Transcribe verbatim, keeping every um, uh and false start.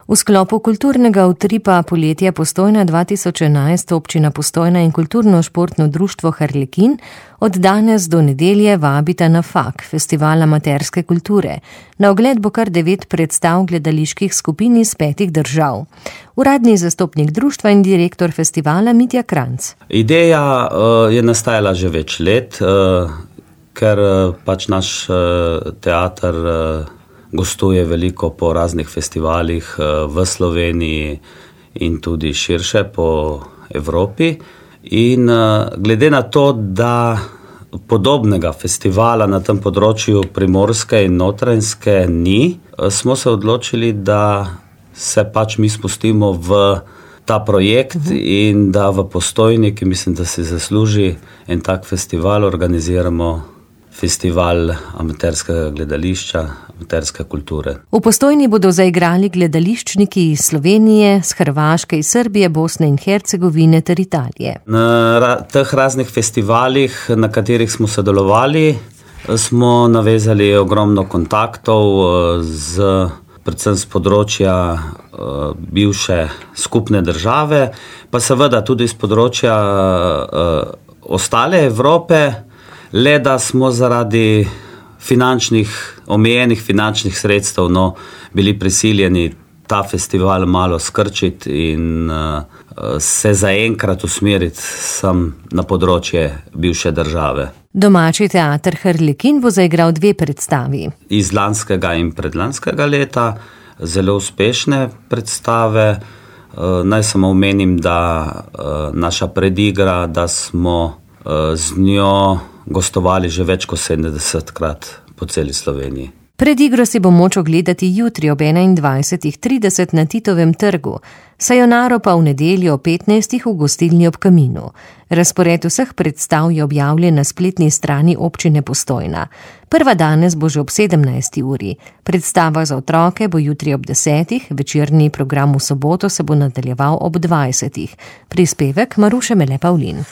V sklopu kulturnega utripa Poletje Postojna dva tisoč enajst občina Postojna in kulturno-športno društvo Harlekin od danes do nedelje vabita na F A K, festival amaterske kulture. Na ogled bo kar devet predstav gledaliških skupin iz petih držav. Uradni zastopnik društva in direktor festivala Mitja Kranjc. Ideja uh, je nastajala že več let, uh, ker uh, pač naš uh, teater uh, gostuje veliko po raznih festivalih v Sloveniji in tudi širše po Evropi. In glede na to, da podobnega festivala na tem področju Primorske in Notranjske ni, smo se odločili, da se pač mi spustimo v ta projekt uh-huh. in da v Postojni, ki mislim, da si zasluži en tak festival, organiziramo festival amaterskega gledališča, amaterske kulture. V Postojni bodo zaigrali gledališčniki iz Slovenije, z Hrvaške, iz Srbije, Bosne in Hercegovine ter Italije. Na ra- teh raznih festivalih, na katerih smo sodelovali, smo navezali ogromno kontaktov z, predvsem z področja uh, bivše skupne države, pa seveda tudi z področja uh, ostale Evrope, le da smo zaradi finančnih, omejenih finančnih sredstev no, bili prisiljeni ta festival malo skrčiti in uh, se zaenkrat usmeriti sem na področje bivše države. Domači teater Harlekin bo zaigral dve predstavi. Iz lanskega in predlanskega leta, zelo uspešne predstave. Uh, naj samo omenim, da uh, naša predigra, da smo uh, z njo gostovali že več kot sedemdesetkrat po celi Sloveniji. Predigro si bo moč ogledati jutri ob enaindvajsetih trideset na Titovem trgu, Sayonaro pa v nedeljo ob petnajstih v gostilni ob Kaminu. Razpored vseh predstav je objavljen na spletni strani občine Postojna. Prva danes bo že ob sedemnajsti uri. Predstava za otroke bo jutri ob desetih, večerni program v soboto se bo nadaljeval ob dvajsetih. Prispevek Maruše Mele Pavlin.